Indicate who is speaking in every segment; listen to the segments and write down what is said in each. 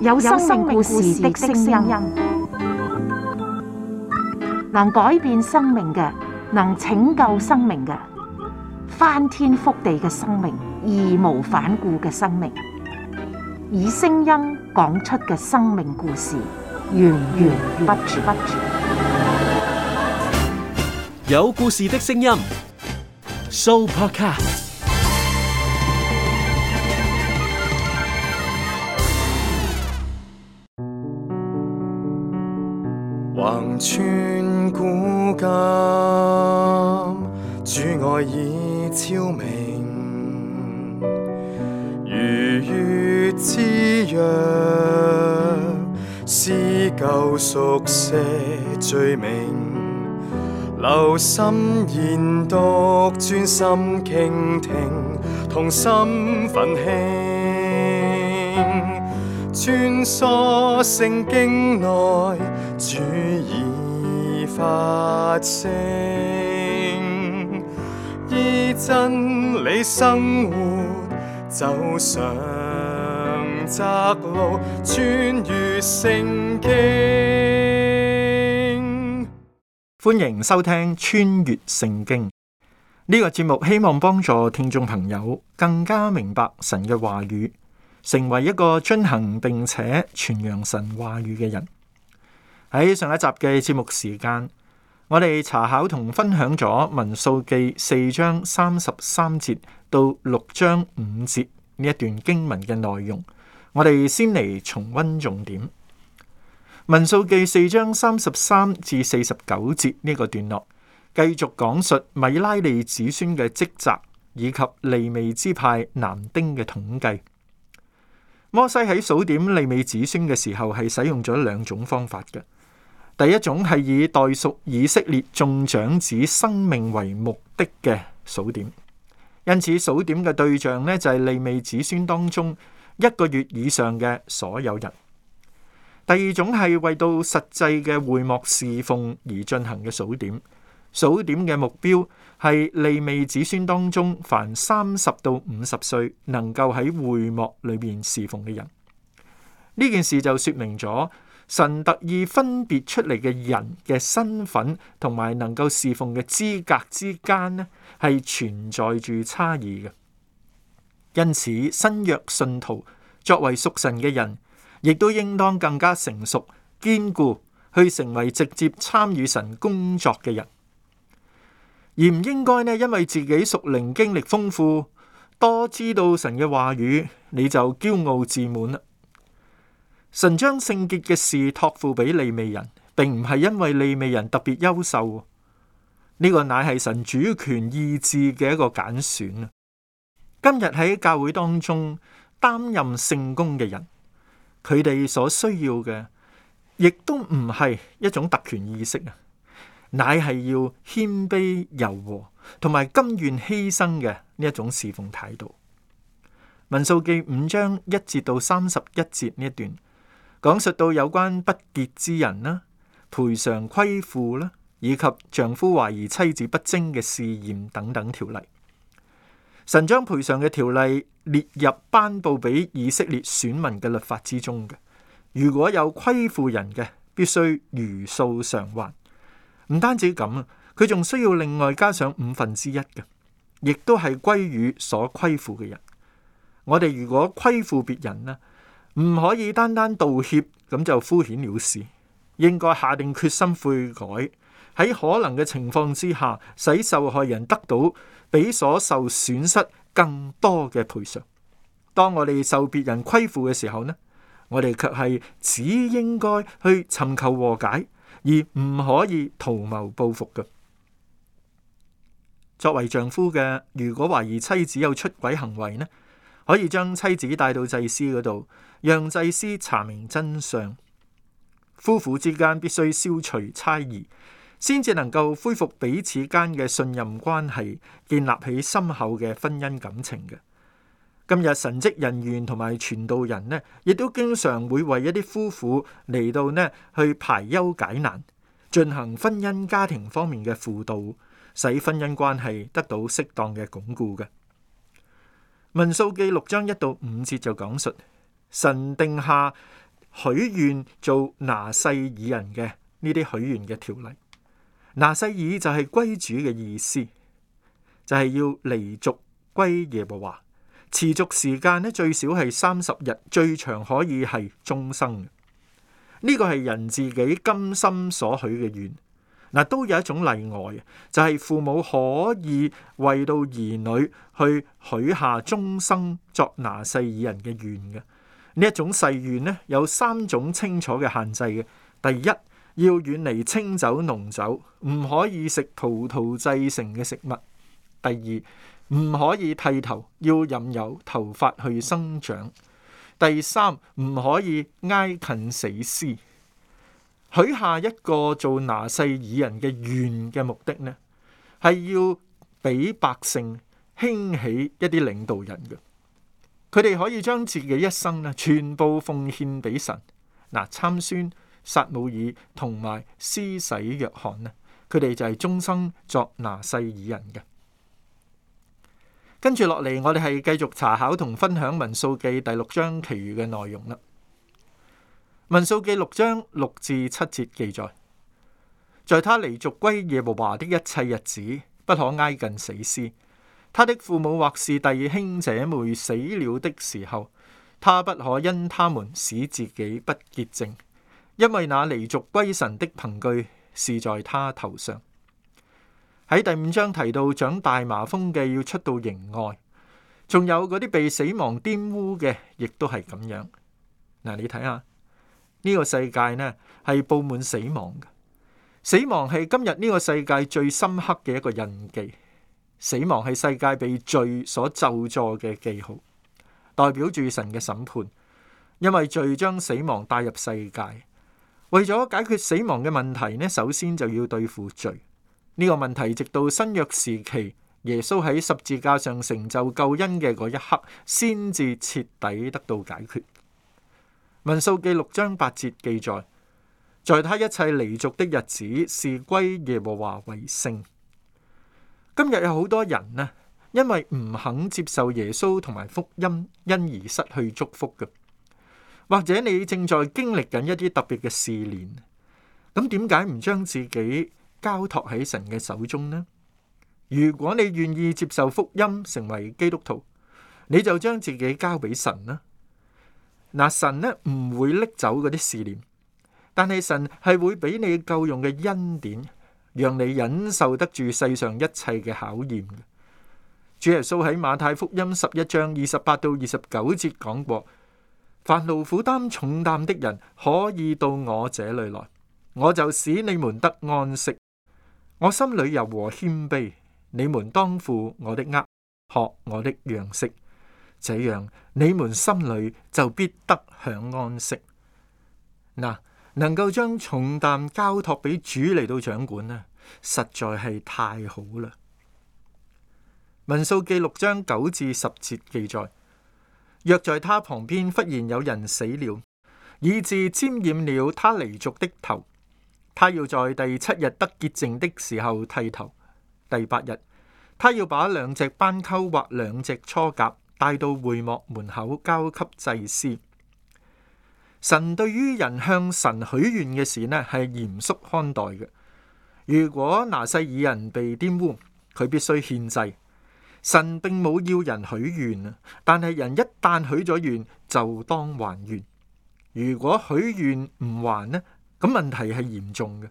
Speaker 1: 有生命故事的聲音，能改變生命嘅，能拯救生命嘅，翻天覆地嘅生命，義無反顧嘅生命，以聲音講出嘅生命故事，源源不絕。
Speaker 2: 有故事的聲音 ，Sooo Podcast。
Speaker 3: 橫穿古今，主愛已超明，如月之約，撕舊熟寫罪名，留心研讀，專心傾聽，同心奮興，穿梭聖經內，主已發聲，依真理生活，走上窄路，穿越聖經。
Speaker 4: 歡迎收聽穿越聖經呢個節目，希望幫助聽眾朋友更加明白神嘅話語，成為一個遵行並且傳揚神話語嘅人。喺上一集嘅節目時間，我哋查考同分享咗民數記4章33節到6章5節呢一段經文嘅內容。我哋先嚟重溫重點。民數記4章33至49節呢個段落，繼續講述米拉利子孫嘅職責，以及利未支派男丁嘅統計。摩西喺數點利未子孫嘅時候，係使用咗兩種方法嘅。第一種係以代屬以色列眾長子生命為目的嘅數點，因此數點嘅對象呢，就係利未子孫當中1個月以上嘅所有人。第二種係為到實際嘅會幕侍奉而進行嘅數點，數點嘅目標係利未子孫當中凡30到50歲能夠喺會幕裏面侍奉嘅人。呢件事就說明咗神特意分別出嚟嘅人嘅身份同埋能夠侍奉嘅資格之間呢，係存在住差異嘅。因此新約信徒作為屬神嘅人，亦都應當更加成熟堅固，去成為直接參與神工作嘅人，而唔應該呢，因為自己屬靈經歷豐富，多知道神嘅話語，你就驕傲自滿啦。神將聖潔嘅事託付俾利未人，並唔係因為利未人特別優秀，呢個乃係神主權意志嘅一個揀選啊。今日喺教會當中擔任聖工嘅人，佢哋所需要嘅，亦都唔係一種特權意識啊，乃係要謙卑柔和，同埋甘願犧牲嘅呢一種侍奉態度。民數記5章1節到31節呢一段，講述到有關不潔之人啦、賠償虧負啦，以及丈夫懷疑妻子不貞嘅試驗等等條例。神將賠償嘅條例列入頒布俾以色列選民嘅律法之中嘅。如果有虧負人嘅，必須如數償還。唔單止咁啊，佢仲需要另外加上1/5嘅，亦都係歸於所虧負嘅人。我哋如果虧負別人呢，唔可以單單道歉咁就敷衍了事，應該下定決心悔改，喺可能嘅情況之下，使受害人得到比所受損失更多嘅賠償。當我哋受別人虧負嘅時候呢，我哋卻係只應該去尋求和解，而唔可以圖謀報復嘅。作為丈夫嘅，如果懷疑妻子有出軌行為呢，可以將妻子帶到祭司嗰度，讓祭司查明真相。夫婦之間必須消除猜疑，先至能夠恢復彼此間嘅信任關係，建立起深厚嘅婚姻感情嘅。今日神職人員同埋傳道人呢，亦都經常會為一啲夫婦嚟到呢去排憂解難，進行婚姻家庭方面嘅輔導，使婚姻關係得到適當嘅鞏固嘅。民數記6章1到5節就講述神定下許願做拿細耳人嘅呢啲許願嘅條例。拿細耳就係歸主嘅意思，就係要離俗歸耶和華，持續時間呢最少係30日，最長可以係終生。呢個係人自己甘心所許嘅願。嗱，都有一種例外，就係父母可以為到兒女去許下終生作拿細耳人嘅願嘅。呢一種誓願呢，有3種清楚嘅限制嘅。第一，要遠離清酒濃酒，唔可以食葡萄製成嘅食物。第二，唔可以剃頭，要任由頭髮去生長。第三，唔可以挨近死屍。許下一個做拿細耳人嘅願嘅目的呢，係要俾百姓興起一啲領導人嘅，佢哋可以將自己一生呢全部奉獻俾神。嗱，參孫、撒母耳同埋施洗約翰呢，佢哋就係終生作拿細耳人嘅。跟住落嚟，我哋係繼續查考同分享民數記第6章其餘嘅內容啦。民數記6章6至7節記載，在他離族歸耶和華的一切日子，不可挨近死屍。他的父母或是弟兄姐妹死了的時候，他不可因他們使自己不潔淨，因為那離族歸神的憑據是在他頭上。喺第5章提到長大麻風嘅要出到營外，仲有嗰啲被死亡玷污嘅，亦都係咁樣。嗱，你睇下呢個世界呢係佈滿死亡嘅，死亡係今日呢個世界最深刻嘅一個印記。死亡係世界被罪所咒詛嘅記號，代表住神嘅審判。因為罪將死亡帶入世界，為咗解決死亡嘅問題呢，首先就要對付罪。呢個問題直到新約時期，耶穌喺十字架上成就救恩嘅嗰一刻，先至徹底得到解決。民數記6章8節記載，在他一切離族的日子，是歸耶和華為聖。今日有好多人呢，因為唔肯接受耶穌同埋福音，因而失去祝福嘅。或者你正在經歷緊一啲特別嘅試煉，咁點解唔將自己交託喺神嘅手中呢？如果你願意接受福音，成為基督徒，你就將自己交俾神啦。嗱，神呢唔會拎走嗰啲試煉，但係神係會俾你夠用嘅恩典，讓你忍受得住世上一切嘅考驗。主耶穌喺馬太福音11章28到29節講過，凡勞苦擔重擔的人，可以到我這裏來，我就使你們得安息。我心裏柔和謙卑，你們當負我的軛，學我的樣式，這樣你們心裏就必得享安息。嗱，能夠將重擔交託俾主嚟到掌管呢，實在係太好啦。民數記6章9至10節記載，若在他旁邊忽然有人死了，以致沾染了他離族的頭，他要在第7日得潔淨的時候剃頭。第8日，他要把2隻斑鳩或2隻雛鴿帶到會幕門口交給祭司。神對於人向神許願嘅事呢，係嚴肅看待嘅。如果拿細耳人被玷污，佢必須獻祭。神並冇要人許願啊，但係人一旦許咗願，就當還願。如果許願唔還呢，咁問題係嚴重嘅。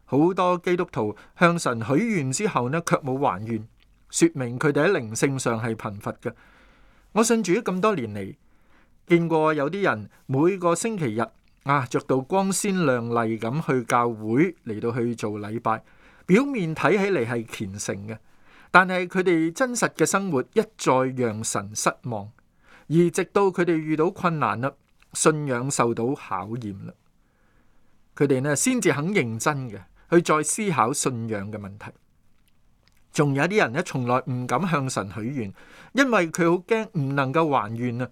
Speaker 4: 好多基督徒向神許願之後呢，卻冇還願，說明佢哋喺靈性上係貧乏嘅。我信主咁多年嚟，見過有啲人每個星期日着到光鮮亮麗咁去教會嚟到去做禮拜，表面睇起嚟係虔誠嘅，但係佢哋真實嘅生活一再讓神失望，而直到佢哋遇到困難啦，信仰受到考驗啦，佢哋呢先至肯認真嘅去再思考信仰嘅問題。仲有啲人呢，從來唔敢向神許願，因為佢好驚唔能夠還願啊。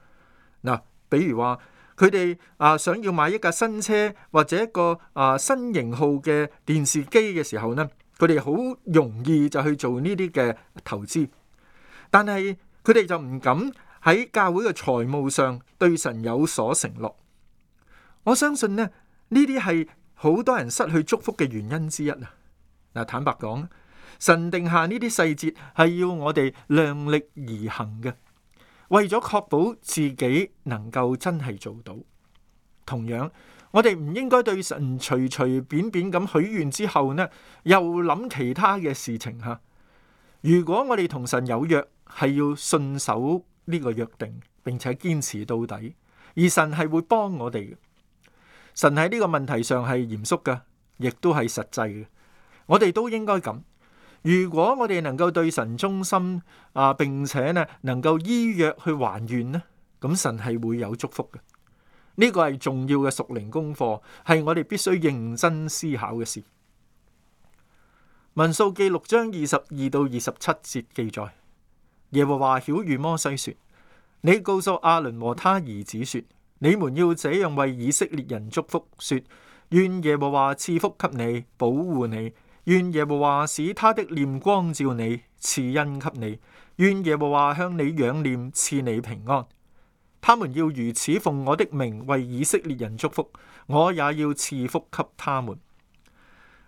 Speaker 4: 嗱，比如話佢哋想要買一架新車或者一個新型號嘅電視機嘅時候呢，佢哋好容易就去做呢啲嘅投資，但係佢哋就唔敢喺教會嘅財務上對神有所承諾。我相信呢啲係好多人失去祝福嘅原因之一啊！嗱，坦白講，神定下呢啲細節係要我哋量力而行嘅，為咗確保自己能夠真係做到。同樣，我哋唔應該對神隨隨便便咁許願之後呢，又諗其他嘅事情吓。如果我哋同神有約，係要信守呢個約定，並且堅持到底，而神係會幫我哋嘅。神喺呢個問題上係嚴肅嘅，亦都係實際嘅。我哋都應該咁。如果我哋能夠對神忠心並且呢能夠依約去還願呢，咁神係會有祝福嘅。呢個係重要嘅屬靈功課，係我哋必須認真思考嘅事。民數記6章22到27節記載，耶和華曉諭摩西說：你告訴亞倫和他兒子說，你們要這樣為以色列人祝福，說：願耶和華賜福給你，保護你；願耶和華使他的臉光照你，賜恩給你；願耶和華向你仰臉，賜你平安。他們要如此奉我的名為以色列人祝福，我也要賜福給他們。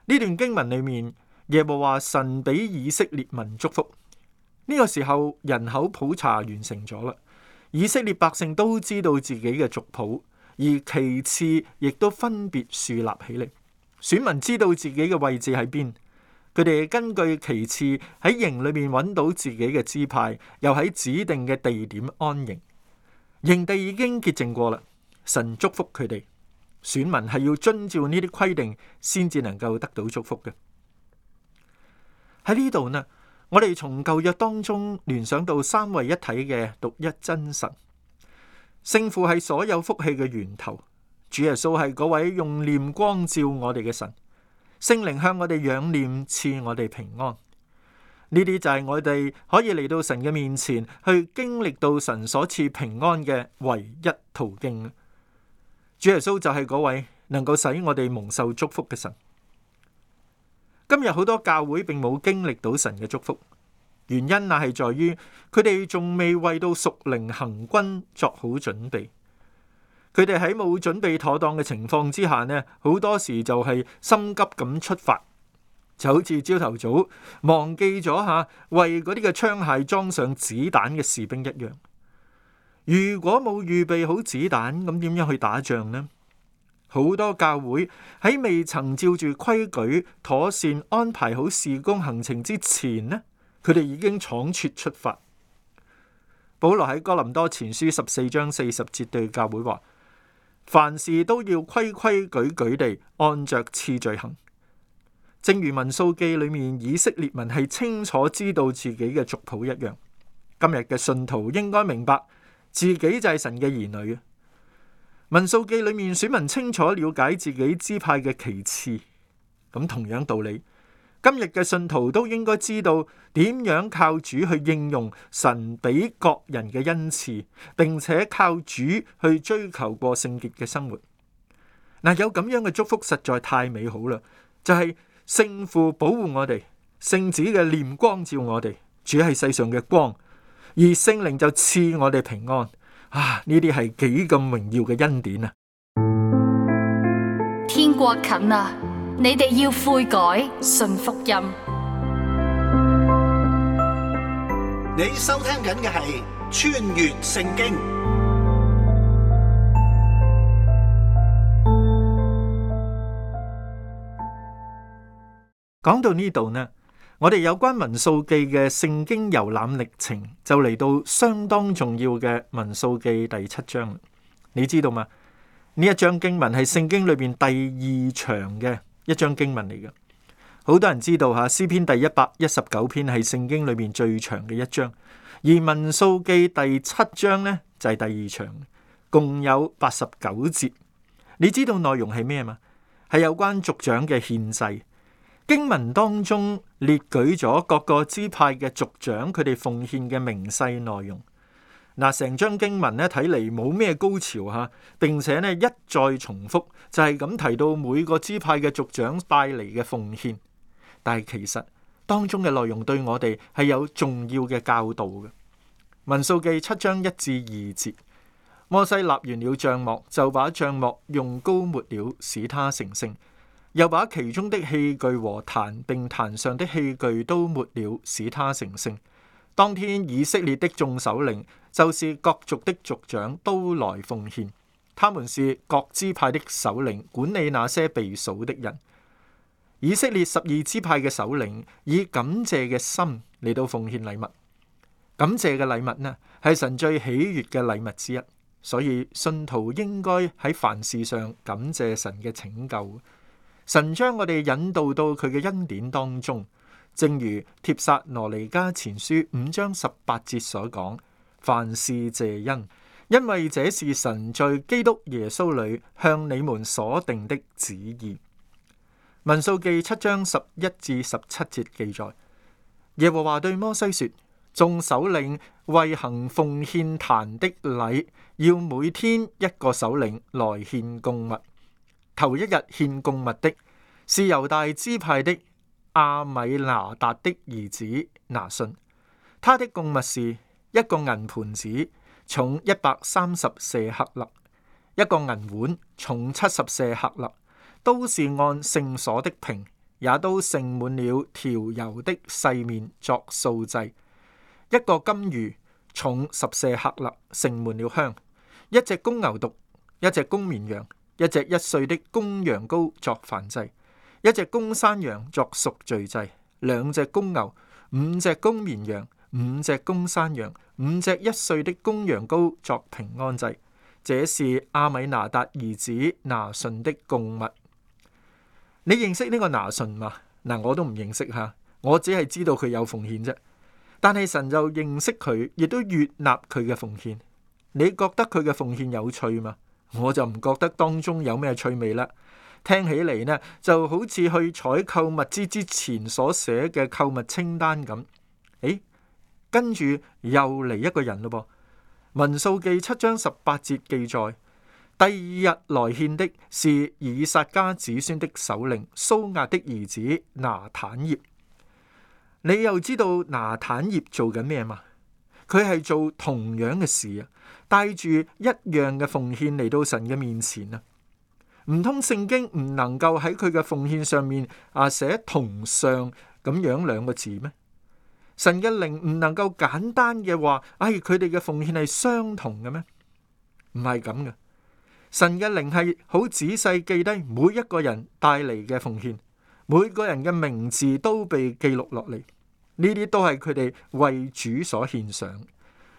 Speaker 4: 呢段經文裏面，耶和華神俾以色列民祝福。呢個時候人口普查完成咗啦，以色列百姓都知道自己嘅族譜，而旗幟亦都分別豎立起嚟。選民知道自己嘅位置喺邊，佢哋根據旗幟喺營裏面揾到自己嘅支派，又喺指定嘅地點安營。營地已經潔淨過啦，神祝福佢哋。選民係要遵照呢啲規定，先至能夠得到祝福嘅。喺呢度呢，我哋從舊約當中聯想到三位一體嘅獨一真神。聖父係所有福氣嘅源頭，主耶穌係嗰位用臉光照我哋嘅神，聖靈向我哋仰臉，賜我哋平安。呢啲就係我哋可以嚟到神嘅面前，去經歷到神所賜平安嘅唯一途徑。主耶穌就係嗰位能夠使我哋蒙受祝福嘅神。今日好多教會並冇經歷到神嘅祝福，原因乃係在於佢哋仲未為到屬靈行軍作好準備。佢哋喺冇準備妥當嘅情況之下呢，好多時就係心急咁出發。就好似朝頭早忘記咗為嗰啲嘅槍械裝上子彈嘅士兵一樣。如果冇預備好子彈，咁點樣去打仗呢？好多教會喺未曾照住規矩妥善安排好事工行程之前呢，佢哋已經倉促出發。保羅喺哥林多前書14章40節對教會話：凡事都要規規矩矩地按着次序行。正如民數記裏面以色列民係清楚知道自己嘅族譜一樣，今日嘅信徒應該明白自己就係神嘅兒女。民數記裏面選民清楚了解自己支派嘅旗幟，咁同樣道理，今日嘅信徒都應該知道點樣靠主去應用神俾各人嘅恩賜，並且靠主去追求過聖潔嘅生活。有咁樣嘅祝福實在太美好啦，就係聖父保護我哋，聖子嘅臉光照我哋，主係世上嘅光，而聖靈就賜我哋平安。呢啲係幾咁榮耀嘅恩典啊！
Speaker 5: 天國近啦，你哋要悔改，信福音。
Speaker 6: 你收聽緊嘅係穿越聖經。
Speaker 4: 講到呢度呢，我哋有關民數記嘅聖經遊覽歷程就嚟到相當重要嘅民數記第7章。你知道嗎？呢一章經文係聖經裏邊第2長嘅一章經文嚟嘅。好多人知道詩篇第119篇係聖經裏邊最長嘅一章，而民數記第7章呢就係第2長，共有89節。你知道內容係咩嗎？係有關族長嘅獻祭。經文當中列舉咗各個支派嘅族長佢哋奉獻嘅明細內容。成章經文睇嚟冇咩高潮並且一再重複，就係咁提到每個支派嘅族長帶嚟嘅奉獻。但係其實當中嘅內容對我哋係有重要嘅教導嘅。民數記7章1至2節，摩西立完了帳幕，就把帳幕用膏抹了，使它成聖，又把其中的器具和壇並壇上的器具都抹了，使它成聖。當天以色列的眾首領，就是各族的族長，都來奉獻。他們是各支派的首領，管理那些被數的人。以色列12支派嘅首領以感謝嘅心嚟到奉獻禮物。感謝嘅禮物呢，係神最喜悅嘅禮物之一。所以信徒應該喺凡事上感謝神嘅拯救。神將我哋引導到佢嘅恩典當中，正如帖撒羅尼迦前書5章18節所講，凡事謝恩，因為這是神在基督耶穌裏向你們所定的旨意。民數記7章11至17節記載，耶和華對摩西說，眾首領為行奉獻壇的禮，要每天一個首領來獻供物。頭一日獻供物的是猶大支派的亞米拿達的兒子拿順，他的供物是一個銀盤子，重130舍客勒；一個銀碗，重70舍客勒，都是按聖所的瓶，也都盛滿了調油的細麵作素祭。一個金魚，重10舍客勒，盛滿了香；一隻公牛犢，一隻公綿羊，一隻1歲的公羊羔作燔祭，一隻公山羊作贖罪祭，2隻公牛，5隻公綿羊，5隻公山羊，5隻1歲的公羊羔作平安祭。這是亞米拿達兒子拿順的供物。你認識呢個拿順嗎？嗱，我都唔認識吓，我只係知道佢有奉獻啫。但係神就認識佢，亦都悅納佢嘅奉獻。你覺得佢嘅奉獻有趣嗎？我就唔覺得當中有咩趣味啦。聽起嚟呢，就好似去採購物資之前所寫嘅購物清單咁。跟住又嚟一個人咯噃。民數記7章18節記載，第二日來獻的是以撒家子孫的首領蘇亞的兒子拿坦業。你又知道拿坦業做緊咩嘛？佢係做同樣嘅事啊，帶住一樣嘅奉獻嚟到神嘅面前啊。唔通聖經唔能夠喺佢嘅奉獻上面寫同上咁樣2個字咩？神嘅靈唔能夠簡單嘅話，佢哋嘅奉獻係相同嘅咩？唔係咁嘅。神嘅靈係好仔細記低每一個人帶嚟嘅奉獻。每個人嘅名字都被記錄落嚟，呢啲都係佢哋為主所獻上。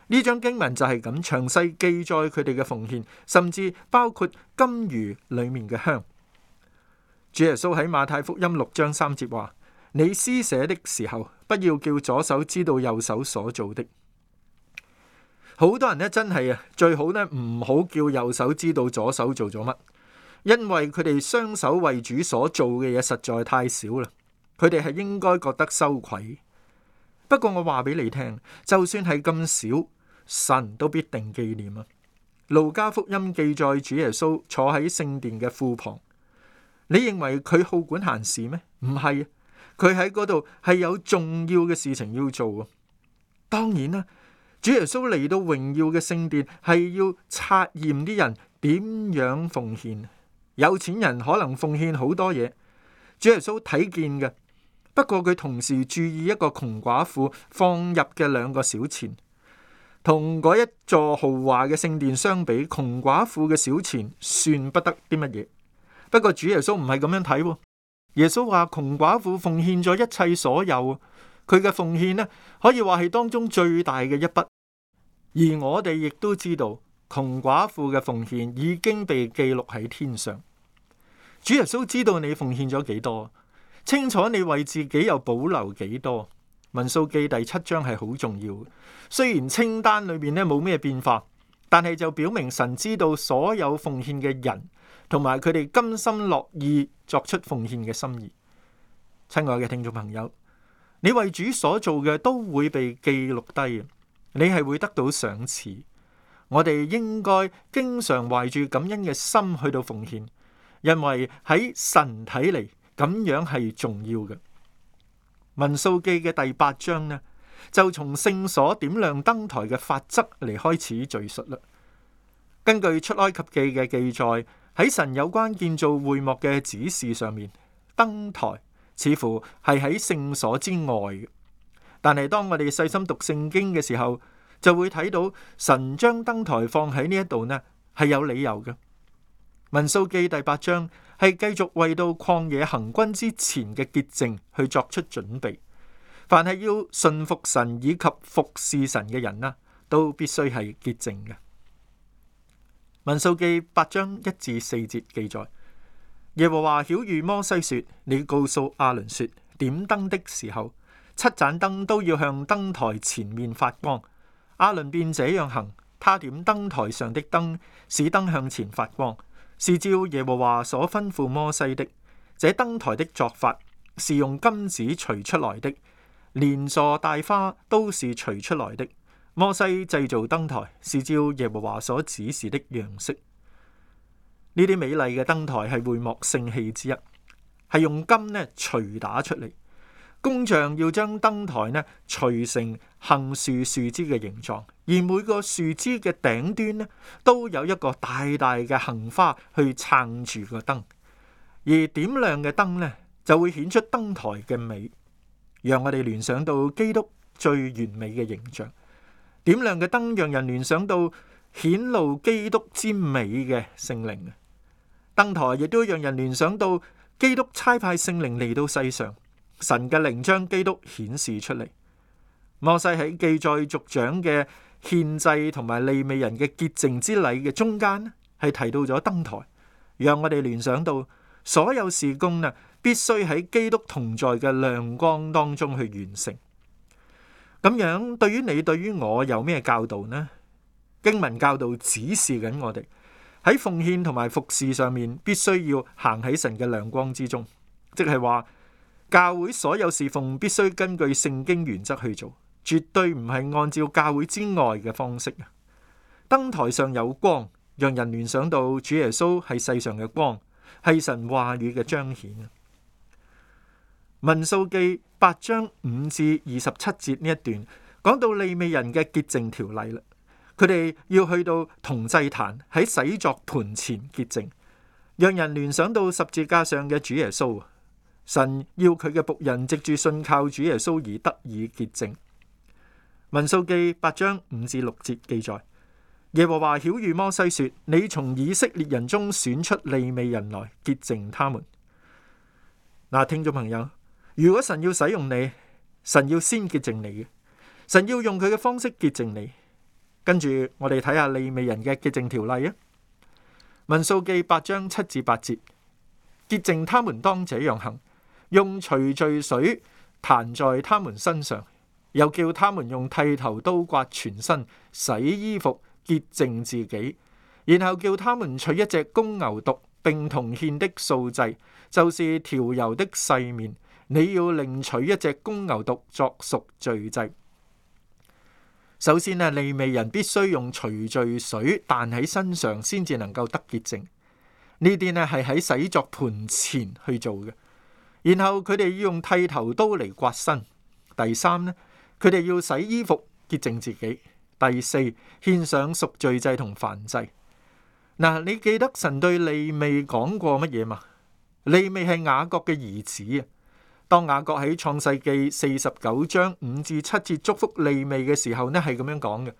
Speaker 4: 呢章經文就係咁詳細記載佢哋嘅奉獻，甚至包括金魚裏面嘅香。主耶穌喺馬太福音6章3節話：你施捨的時候，不要叫左手知道右手所做的。好多人呢，真係最好呢唔好叫右手知道左手做咗乜。因為佢哋雙手為主所做嘅嘢實在太少啦，佢哋係應該覺得羞愧。不過我話俾你聽，就算係咁少，神都必定紀念啊。路加福音記載主耶穌坐喺聖殿嘅庫旁，你認為佢好管閒事咩？唔係，佢喺嗰度係有重要嘅事情要做啊。當然啦，主耶穌嚟到榮耀嘅聖殿係要察驗啲人點樣奉獻。有錢人可能奉獻好多嘢，主耶穌睇見嘅。不過佢同時注意一個窮寡婦放入嘅2個小錢，同嗰一座豪華嘅聖殿相比，窮寡婦嘅小錢算不得啲乜嘢。不過主耶穌唔係咁樣睇，耶穌話窮寡婦奉獻咗一切所有，佢嘅奉獻呢，可以話係當中最大嘅一筆。而我哋亦都知道，窮寡婦嘅奉獻已經被記錄喺天上。主耶穌知道你奉獻咗幾多，清楚你為自己又保留幾多。民數記第7章係好重要，雖然清單裏面咧冇咩變化，但係就表明神知道所有奉獻嘅人，同埋佢哋甘心樂意作出奉獻嘅心意。親愛嘅聽眾朋友，你為主所做嘅都會被記錄低，你係會得到賞賜。我哋應該經常懷住感恩嘅心去到奉獻。因為喺神睇嚟咁樣係重要嘅。民數記嘅第8章呢，就從聖所點亮燈台嘅法則嚟開始敘述啦。根據出埃及記嘅記載，喺神有關建造會幕嘅指示上面，燈台似乎係喺聖所之外嘅。但係當我哋細心讀聖經嘅時候，就會睇到神將燈台放喺呢一度呢，係有理由嘅。民數記第8章係繼續為到曠野行軍之前嘅潔淨去作出準備。凡係要順服神以及服侍神嘅人呢，都必須係潔淨嘅。民數記8章1至4節記載，耶和華曉諭摩西說：你告訴亞倫說，點燈的時候，7盞燈都要向燈台前面發光。亞倫便這樣行，他點燈台上的燈，使燈向前發光，是照耶和華所吩咐摩西的。這燈台的作法是用金子錘出來的，連座帶花都是錘出來的。摩西製造燈台是照耶和華所指示的樣式。呢啲美麗嘅燈台係會幕聖器之一，係用金呢錘打出嚟。工匠要將燈台呢錘成杏樹樹枝嘅形狀，而每個樹枝嘅頂端呢都有一個大大嘅杏花去撐住個燈，而點亮嘅燈呢就會顯出燈台嘅美，讓我哋聯想到基督最完美嘅形象。點亮嘅燈讓人聯想到顯露基督之美嘅聖靈。燈台亦都讓人聯想到基督差派聖靈嚟到世上，神嘅靈將基督顯示出嚟。摩西喺記載族長嘅獻祭同埋利未人嘅潔淨之禮嘅中間，係提到咗燈台，讓我哋聯想到所有事工必須喺基督同在嘅亮光當中去完成。咁樣對於你對於我有咩教導呢？經文教導指示緊我哋喺奉獻同埋服侍上面必須要行喺神嘅亮光之中，即係話教會所有侍奉必須根據聖經原則去做，絕對唔係按照教會之外嘅方式。燈台上有光，讓人聯想到主耶穌係世上嘅光，係神話語嘅彰顯。民數記8章5至27節呢一段講到利未人嘅潔淨條例啦，佢哋要去到銅祭壇喺洗作盤前潔淨，讓人聯想到十字架上嘅主耶穌。神要佢嘅僕人藉住信靠主耶穌而得以潔淨。民數記8章5至6節記載，耶和華曉諭摩西說：你從以色列人中選出利未人來潔淨他們。嗱，聽眾朋友，如果神要使用你，神要先潔淨你嘅，神要用佢嘅方式潔淨你。跟住我哋睇下利未人嘅潔淨條例啊。民數記8章7至8節，潔淨他們當這樣行，用除罪水彈在他們身上，又叫他們用剃頭刀刮全身，洗衣服，潔淨自己，然後叫他們取一隻公牛犢，並同獻的素祭，就是調油的細麵。你要另取一隻公牛犢作贖罪祭。首先利未人必須用除罪水彈喺身上，先至能夠得潔淨。呢啲係喺洗作盤前去做嘅。然後佢哋要用剃頭刀嚟刮身。第三佢哋要洗衣服潔淨自己。第四，獻上贖罪祭同燔祭。你記得神對利未講過乜嘢嘛？利未係雅各嘅兒子啊。當雅各喺創世記49章5至7節祝福利未嘅時候係咁樣講嘅：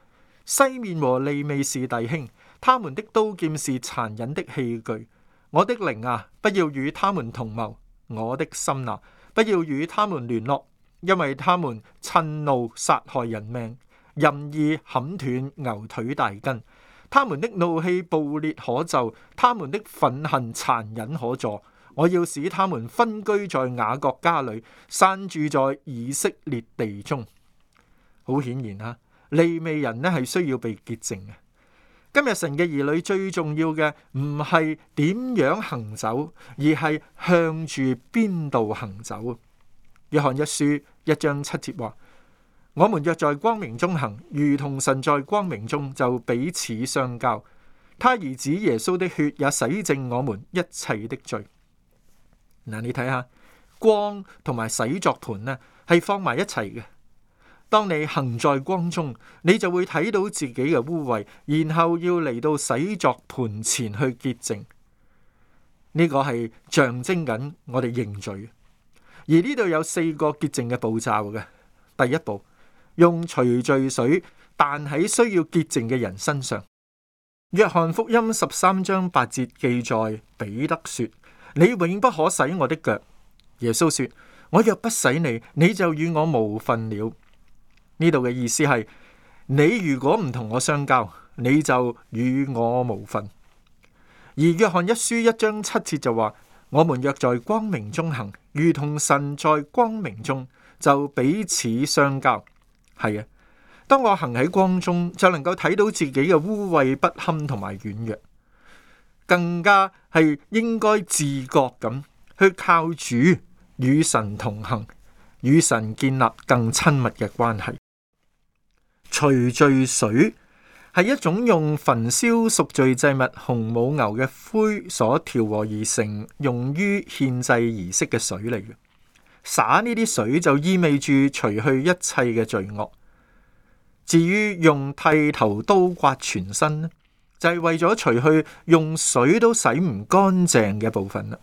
Speaker 4: 西面和利未是弟兄，他們的刀劍是殘忍的器具。我的靈啊，不要與他們同謀；我的心啊，不要與他們聯絡，因為他們趁怒殺害人命，任意砍斷牛腿大筋。他們的怒氣暴烈可咒，他們的憤恨殘忍可助。我要使他們分居在雅各家裏，散住在以色列地中。好顯然利未人係需要被潔淨嘅。今日神嘅兒女最重要嘅唔係點樣行走，而係向住邊度行走。約翰一書1章7節話：我們若在光明中行，如同神在光明中，就彼此相交。他兒子耶穌的血也洗淨我們一切的罪。你睇下光同埋洗作盤係放埋一齊嘅。當你行在光中，你就會睇到自己嘅污穢，然後要嚟到洗作盤前去潔淨。呢個係象徵緊我哋認罪。而呢度有4個潔淨嘅步驟嘅。第一步，用除罪水彈喺需要潔淨嘅人身上。約翰福音13章8節記載，彼得說：你永不可洗我的腳。耶穌說：我若不洗你，你就與我無分了。呢度嘅意思係，你如果唔同我相交，你就與我無分。而約翰一書1章7節就話：我們若在光明中行，如同神在光明中，就彼此相交。係啊，當我行喺光中，就能夠睇到自己嘅污穢不堪同埋軟弱，更加係應該自覺咁去靠主與神同行，與神建立更親密嘅關係。除罪水係一種用焚燒贖罪祭物紅母牛嘅灰所調和而成，用於獻祭儀式嘅水嚟嘅。灑呢啲水就意味住除去一切嘅罪惡。至於用剃頭刀刮全身呢，就係為咗除去用水都洗唔乾淨嘅部分啦。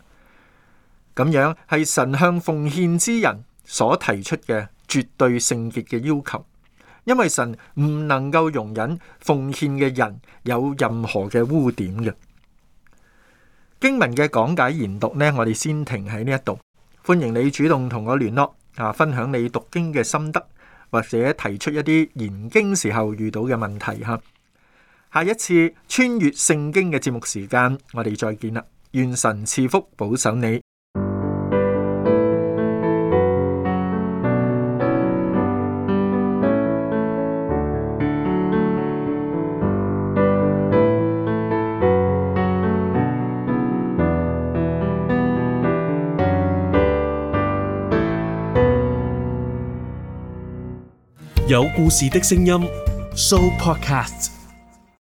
Speaker 4: 咁樣係神向奉獻之人所提出嘅絕對聖潔嘅要求。因為神唔能夠容忍奉獻嘅人有任何嘅污點嘅。經文嘅講解研讀呢，我哋先停喺呢一度。歡迎你主動同我聯絡分享你讀經嘅心得，或者提出一啲研經時候遇到嘅問題吓。下一次穿越聖經嘅節目時間，我哋再見啦。願神賜福保守你。
Speaker 2: 有故事的聲音 Show Podcast。